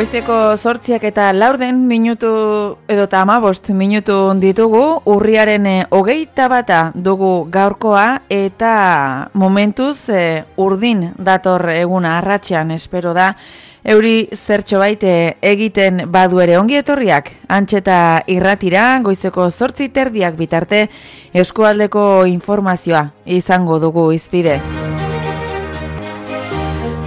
Goizeko 8:04 edo 15 minutu ditugu, urriaren 21 dugu gaurkoa eta momentuz urdin dator eguna arratsean, espero da euri zertxo baite egiten badu ere. Ongi etorriak, Antxeta irratira, goizeko 8:30 bitarte eskualdeko informazioa izango dugu izpide.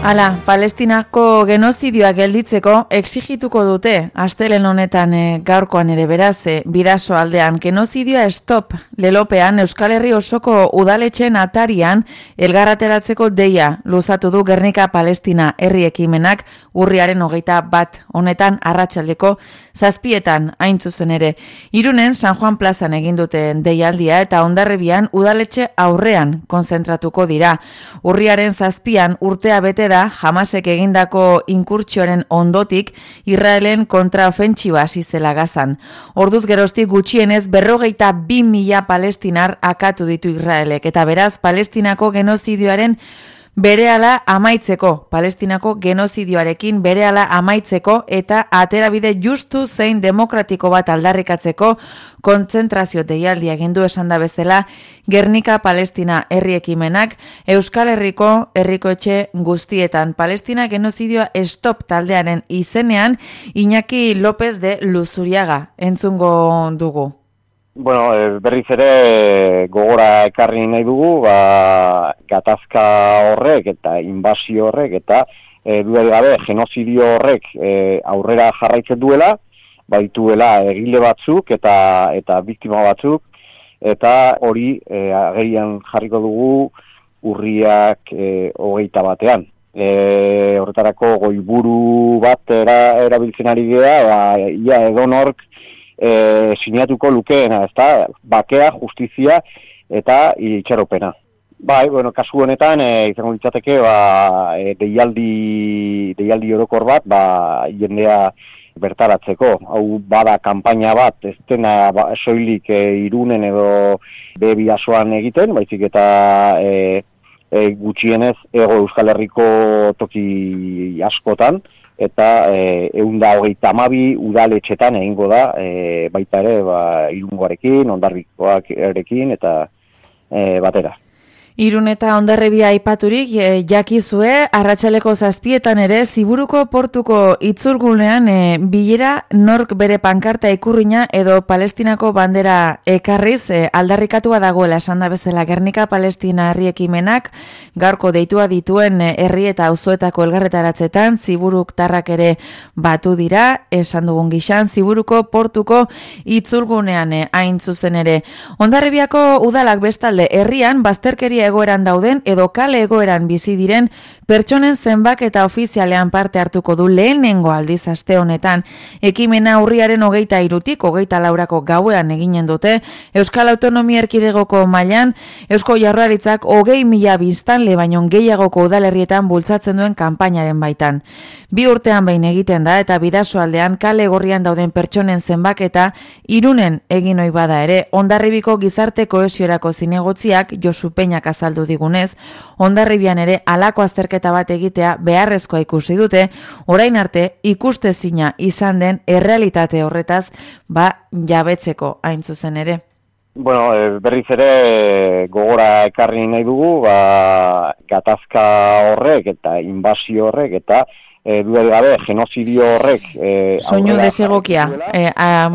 Hala, Palestinako genozidioa gelditzeko exigituko dute astelehen honetan gaurkoan ere beraz, Bidaso aldean genozidioa stop lelopean Euskal Herri osoko udaletxeen atarian elgarrateratzeko deia luzatu du Gernika Palestina herri ekimenak urriaren 21 honetan arratsaldeko 7:00 hain zuzen ere. Irunen San Juan plazan egin duten deialdia eta Hondarribian udaletxe aurrean konzentratuko dira. Urriaren 7:00 urtea bete da Hamasek egindako inkurtsioaren ondotik Israelen kontraofentsiba hasi zela Gazan. Orduz geroztik gutxienez 42.000 palestinar akatu ditu Israelek eta beraz Palestinako genozidioaren berehala amaitzeko, Palestinako genozidioarekin berehala amaitzeko eta aterabide justu zein demokratiko bat aldarrikatzeko kontzentrazio deialdia egin du esan da bezala Gernika Palestina herri ekimenak Euskal Herriko herrikoetxe guztietan. Palestina genozidioa stop taldearen izenean Iñaki López de Luzuriaga entzungo dugu. Bueno, berriz ere gogora ekarri nahi dugu, gatazka horrek eta inbasio horrek eta dudarik gabe genozidio horrek aurrera jarraitzen duela, baituela egile batzuk eta biktima batzuk, eta hori agerian jarriko dugu urriak 21. Horretarako goiburu bat erabiltzen ari gea, ia edonork sinatuko lukeena, ezta? Bakea, justizia eta itxaropena. Bai, bueno, kasu honetan izango litzateke deialdi orokor bat, jendea bertaratzeko. Hau bada kanpaina bat, ez dena soilik Irunen edo Bidasoan egiten, baizik eta gutxienez Hego Euskal Herriko toki askotan, eta 122 udaletxetan egingo da, baita ere Irungoarekin, Hondarrikoarekin eta batera. Irun eta Hondarribia aipaturik jakizue, arratsaleko 7:00 ere Ziburuko portuko itzulgunean bilera nork bere pankarta ikurrina edo Palestinako bandera ekarriz aldarrikatua dagoela esan da bezala Gernika Palestina herri ekimenak gaurko deitua dituen herri eta auzoetako elgarretaratzetan Ziburuk tarrak ere batu dira, esan dugun gixan Ziburuko portuko itzulgunean hain zuzen ere. Hondarribiako udalak bestalde herrian bazterkeria egoeran dauden edo kale egoeran bizi diren pertsonen zenbaketa ofizialean parte hartuko du lehenengo aldiz aste honetan. Ekimena urriaren 23tik 24 gauean eginen dute Euskal Autonomia Erkidegoko mailan Eusko Jaurlaritzak 20.000 biztanle baino gehiagoko udalerrietan bultzatzen duen kanpainaren baitan. 2 urtean behin egiten da eta Bidaso aldean kale gorrian dauden pertsonen zenbaketa Irunen egin ohi bada ere Hondarribiko gizarte kohesiorako zinegotziak Josu Peñak azaldu digunez, Hondarribian ere halako azterketa bat egitea beharrezkoa ikusi dute, orain arte ikustezina izan den errealitate horretaz jabetzeko hain zuzen ere. Bueno, berriz ere gogora ekarri nahi dugu, gatazka horrek eta inbasio horrek eta dudarik gabe genozidio horrek soinu desegokia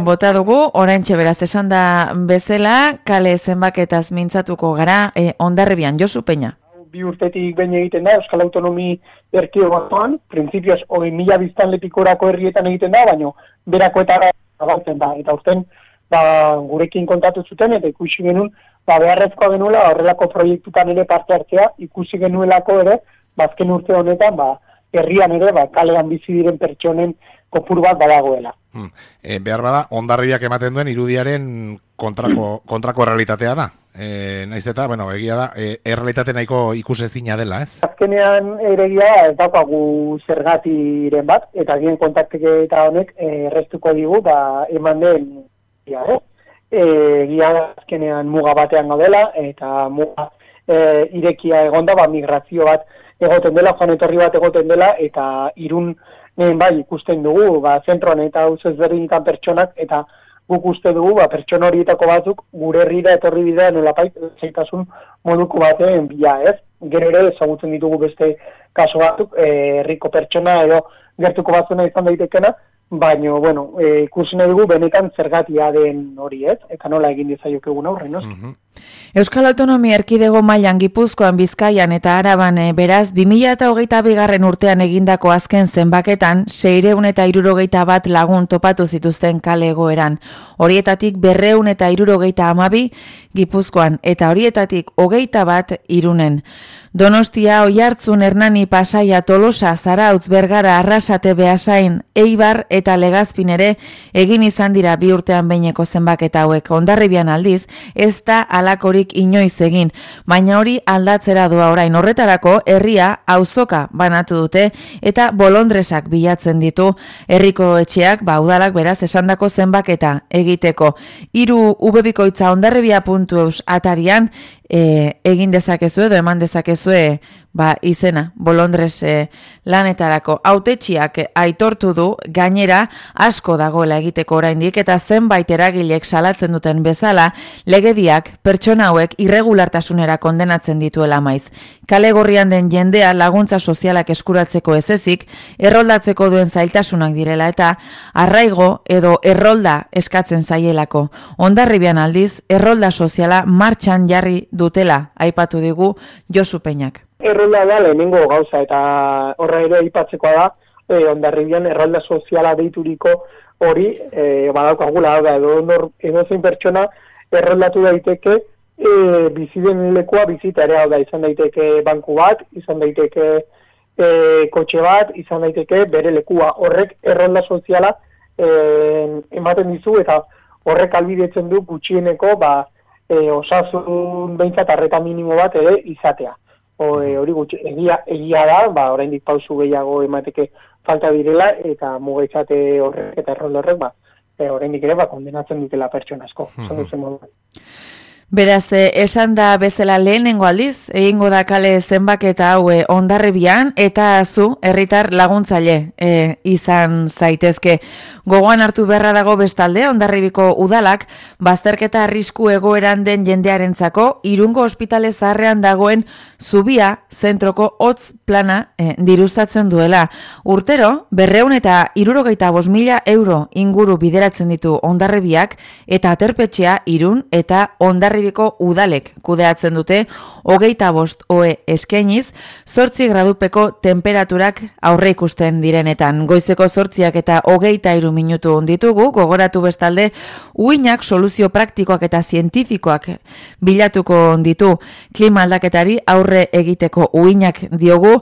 bota dugu, oraintxe beraz esan da bezala, kale zenbaketaz mintzatuko gara Hondarribian, Josu Peña. 2 urtetik behin egiten da Euskal Autonomi Erkidegoan, printzipioz 20.000 biztanlepikorako herrietan egiten da, baina berakoetara zabaltzen da. Eta urten gurekin kontatu zuten eta ikusi genuen beharrezkoa genuela horrelako proiektutan ere parte hartzea, ikusi genuelako ere, azken urte honetan herrian ere kalean bizi diren pertsonen kopuru bat badagoela. Behar bada, Hondarribiak ematen duen irudiaren kontrako realitatea da. Naiz eta, egia da, errealitate nahiko ikusezina dela, ez? Azkenean egia ez daukagu zergatiren bat, eta gen kontakteketa honek errestuko digu, eman den, egia azkenean muga batean gaudela, eta muga irekia egonda, migrazio bat egoten dela, joan etorri bat egoten dela, eta Irun bai, ikusten dugu, zentroan eta hauz ezberdinetan pertsonak, eta guk uste dugu, pertsona horietako batzuk gure herrira etorri bidea nolapait zaitasun moduko batean bila, ez? Gero ere ezagutzen ditugu beste kaso batzuk, herriko pertsona edo gertuko batzuna izan daitekena, baina, bueno, ikusi nahi dugu benetan zergatia den hori, ez? Eta nola egin dizaiokegun aurre, no? Euskal Autonomia Erkidego mailan Gipuzkoan, Bizkaian eta Araban beraz 2022 urtean egindako azken zenbaketan 661 lagun topatu zituzten kale egoeran. Horietatik 272 Gipuzkoan eta horietatik 21 Irunen. Donostia, Oiartzun, Hernani, Pasaia, Tolosa, Zarautz, Bergara, Arrasate, Beasain, Eibar eta Legazpin ere egin izan dira 2 urtean behineko zenbaketa hauek. Hondarribian aldiz, ez da halakorik inoiz egin, baina hori aldatzera doa orain. Horretarako herria auzoka banatu dute eta bolondresak bilatzen ditu herriko etxeak, udalak beraz esandako zenbaketa egiteko. 3 ubebikoitza hondarribia.eus atarian egin dezakezue edo eman dezakezue izena bolondres lanetarako. Hautetxiak aitortu du gainera asko dagoela egiteko oraindik eta zenbait eragilek salatzen duten bezala legediak pertsona hauek irregulartasunera kondenatzen dituela maiz. Kale gorrian den jendea laguntza sozialak eskuratzeko ezezik, erroldatzeko duen zailtasunak direla eta arraigo edo errolda eskatzen zaielako. Hondarribian aldiz, errolda soziala martxan jarri dutela, aipatu digu Josu Peñak. Errolda da lehenengo gauza eta horra ere aipatzekoa da, Hondarribian errolda soziala deituriko hori badaukagula da edo zein pertsona erroldatu daiteke bizi den lekua bizitarea da, izan daiteke banku bat, izan daiteke kotxe bat, izan daiteke bere lekua. Horrek errolda soziala ematen dizu eta horrek albidetzen du gutxieneko osasun behintzat arreta minimo bat ere izatea. Hori egia da, oraindik pausu gehiago emateke falta direla eta mugaitzate horrek eta errolda horrek oraindik ere kondenatzen dutela pertsona asko. Beraz, esan da bezala lehenengo aldiz, egingo da kale zenbaketa hau Hondarribian eta zu herritar laguntzaile izan zaitezke. Gogoan hartu beharra dago bestalde, Hondarribiko udalak bazterketa arrisku egoeran den jendearentzako Irungo ospitale zaharrean dagoen zubia zentroko hotz plana dirustatzen duela. Urtero, 275.000 euro inguru bideratzen ditu Hondarribiak eta Aterpetxea, Irun eta Hondarribiko udalek kudeatzen dute 25 ohe eskainiz 8 gradupeko temperaturak aurre ikusten direnetan. Goizeko 8 eta 23 minutu ditugu, gogoratu bestalde uinak soluzio praktikoak eta zientifikoak bilatuko ditu klima aldaketari aurre egiteko uinak diogu,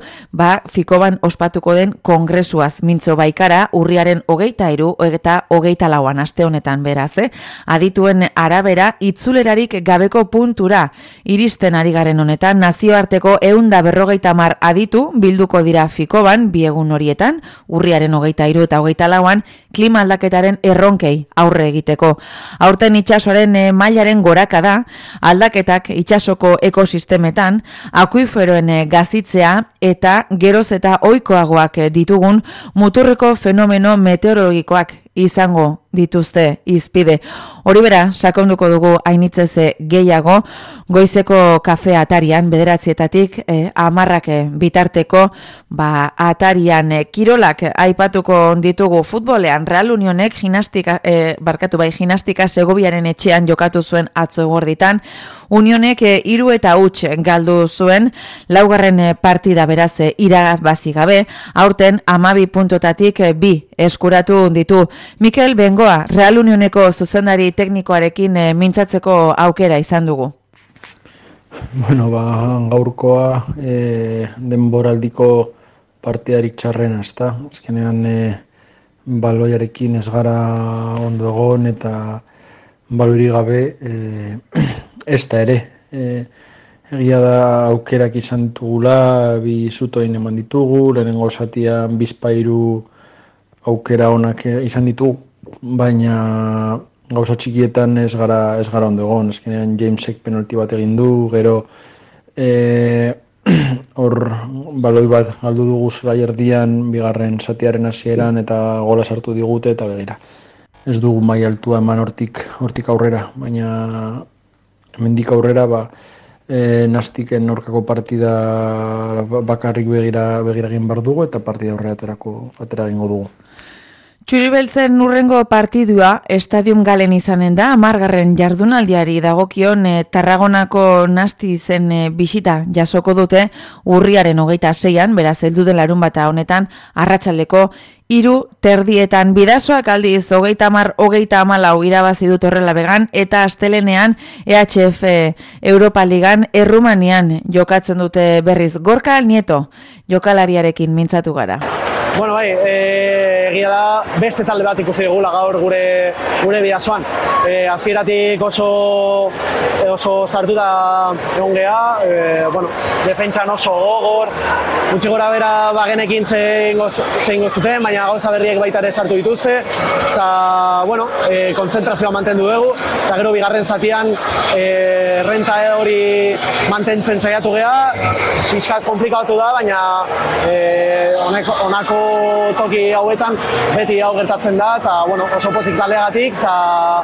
Fikoban ospatuko den kongresuaz mintzo baikara urriaren 23 eta 24 aste honetan beraz, adituen arabera itzulerarik gabeko puntura iristen ari garen honetan nazioarteko 150 aditu bilduko dira Fikoban bi egun horietan, urriaren 23 eta 24an klima aldaketaren erronkei aurre egiteko. Aurten itsasoaren mailaren goraka da, aldaketak itsasoko ekosistemetan, akuiferoen gazitzea eta geroz eta ohikoagoak ditugun muturreko fenomeno meteorologikoak izango dituzte izpide. Hori bera, sakonduko dugu hainitzeze gehiago, goizeko kafe atarian, 9:00 10:00 bitarteko, atarian kirolak aipatuko ditugu futbolean, Real Unionek gimnastika Segoviaren etxean jokatu zuen atzo eguerditan, Unionek 3 eta huts galdu zuen, 4. partida beraz irabazi gabe, aurten 12 puntotatik 2 eskuratu ditu. Mikel Bengoa, Real Unioneko zuzendari teknikoarekin mintzatzeko aukera izan dugu. Bueno, gaurkoa denboraldiko partidarik txarrena, ezta? Azkenean baloiarekin ez gara ondo egon eta baloirik gabe ez da ere. Egia da aukerak izan ditugula, 2 zutoin eman ditugu, lehenengo zatian 2 aukera onak izan ditugu, baina gauza txikietan ez gara ondo egon. Azkenean Jamesek penalti bat egin du, gero hor baloi bat galdu dugu zelai erdian, bigarren zatiaren hasieran eta gola sartu digute eta begira. Ez dugu maila altua eman hortik aurrera, baina hemendik aurrera Nastiken aurkako partida bakarrik begira egin behar dugu eta partida atera egingo dugu. Txuri-beltzen urrengo partidua Estadium Galen izanen da, 10. jardunaldiari dagokion Tarragonako Nastizen bisita jasoko dute urriaren 26an, beraz heldu den larunbata honetan arratsaldeko 3:30 Bidasoak aldiz 30-34 irabazi dut horrela began eta astelenean EHF Europa Ligan Errumanian jokatzen dute berriz. Gorka Nieto jokalariarekin mintzatu gara. Bueno, bai, egia da, beste talde bat ikusi dugula gaur gure Bidasoan. Hasieratik oso sartuta egon geha, defentsan oso gogor, gutxi gora bera bagenekin zeingo zuten, baina gauza berriek baita ere sartu dituzte, eta, kontzentrazioa mantendu dugu, eta gero bigarren zatian renta hori mantentzen saiatu geha, pixkat komplikatu da, baina honako toki hauetan beti hau gertatzen da, eta oso pozik talegatik, eta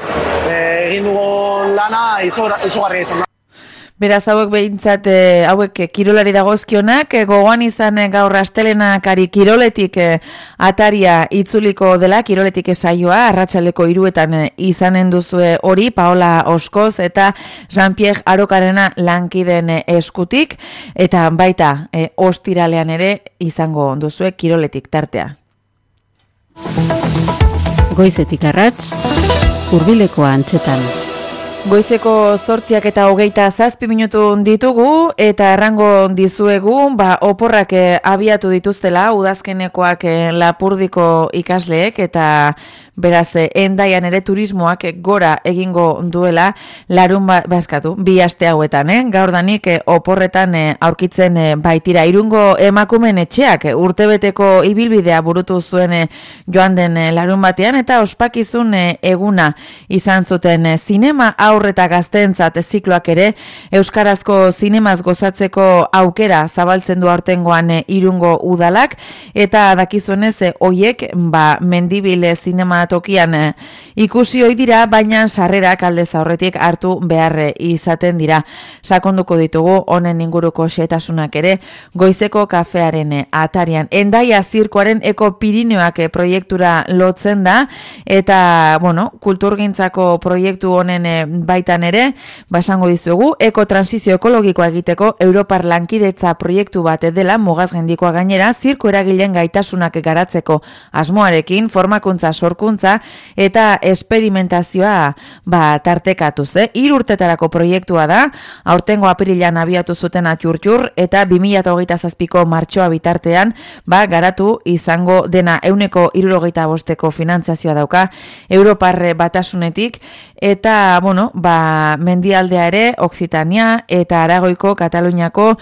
egin dugun lana izugarria izan da. Beraz, hauek behintzat, hauek kirolari dagozkionak, gogoan izan gaur astelenakari kiroletik ataria itzuliko dela, kiroletik saioa, arratsaldeko 3etan izanen duzue hori, Paola Oskoz eta Jean-Pierre Arokarena lankiden eskutik, eta baita ostiralean ere izango duzue kiroletik tartea. Goizetik arrats, hurbileko antxetan. Goizeko 8:27 minutu ditugu eta errango dizuegu, oporrak abiatu dituztela udazkenekoak Lapurdiko ikasleek eta beraz Hendaian ere turismoak gora egingo duela bi aste hauetan, gaurdanik oporretan aurkitzen baitira. Irungo emakumeen etxeak urtebeteko ibilbidea burutu zuen joan den larunbatean eta ospakizun eguna izan zuten zinema aurreta gazteentzat zikloak ere euskarazko zinemaz gozatzeko aukera zabaltzen du aurtengoan Irungo udalak eta dakizuenez hoiek Mendibil zinematokian ikusi ohi dira, baina sarrerak aldez aurretik hartu behar izaten dira. Sakonduko ditugu honen inguruko xehetasunak ere goizeko kafearen atarian. Hendaia zirkoaren Eko Pirineoak proiektura lotzen da eta kulturgintzako proiektu honen baitan ere, esango dizuegu, ekotransizio ekologikoa egiteko Europar lankidetza proiektu bat dela, mugazgendikoa gainera, zirko eragileen gaitasunak garatzeko asmoarekin, formakuntza, sorkuntza eta esperimentazioa tartekatuz. 3 urtetarako proiektua da, aurtengo apirilan abiatu zuten atxurtxur eta 2027ko martxoa bitartean garatu izango dena 165ko finantzazioa dauka Europar batasunetik eta, mendialdea ere, Occitania eta Aragoiko, Kataluniako,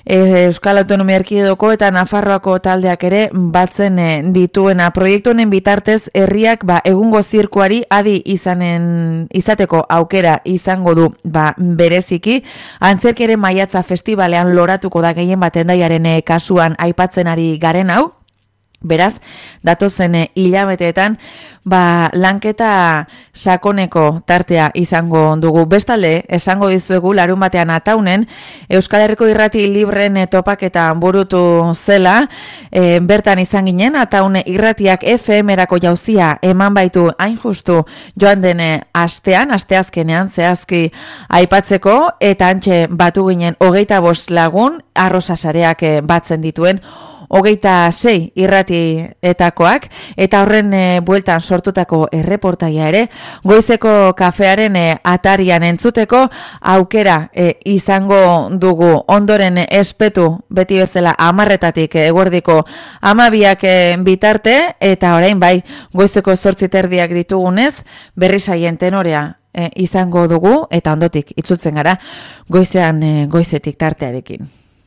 Euskal Autonomia Erkidegoko eta Nafarroako taldeak ere batzen dituena. Proiektu honen bitartez herriak egungo zirkuari adi izateko aukera izango du bereziki. Antzerki ere Maiatza Festivalean loratuko da gehien bat Hendaiaren kasuan aipatzen ari garen hau. Beraz, datozen hilabeteetan lanketa sakoneko tartea izango dugu. Bestalde, esango dizuegu larunbatean Ataunen Euskal Herriko Irrati Libren topaketa burutu zela, bertan izan ginen Ataun Irratiak FM-erako jauzia eman baitu hain justu joan den asteazkenean zehazki aipatzeko eta antxe batu ginen 25 lagun arrosasareak batzen dituen 26 irratietakoak eta horren bueltan sortutako erreportaia ere goizeko kafearen atarian entzuteko aukera izango dugu. Ondoren espetu beti bezala 10:00 eguerdiko 12:00 bitarte eta orain goizeko 8:30 ditugunez berri saien tenorea izango dugu eta ondotik itzultzen gara goizetik tartearekin.